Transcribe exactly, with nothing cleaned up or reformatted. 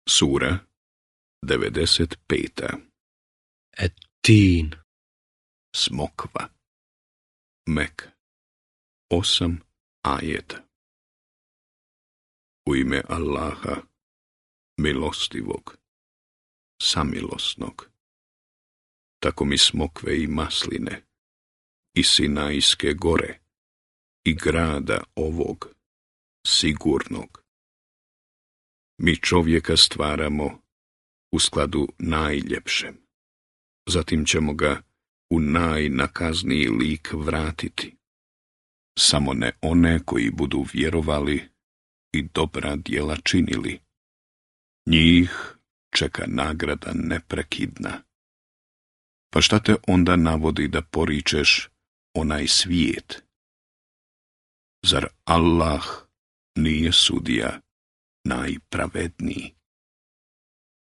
Sura devedeset peta. Et-Tin. Smokva. Mek. Osam ajeta. U ime Allaha, milostivog, samilosnog. Tako mi smokve i masline, i Sinajske gore, i grada ovog, sigurnog. Mi čovjeka stvaramo u skladu najljepšem. Zatim ćemo ga u najnakazniji lik vratiti. Samo ne one koji budu vjerovali i dobra djela činili. Njih čeka nagrada neprekidna. Pa šta te onda navodi da poričeš onaj svijet? Zar Allah nije sudija najpravedniji?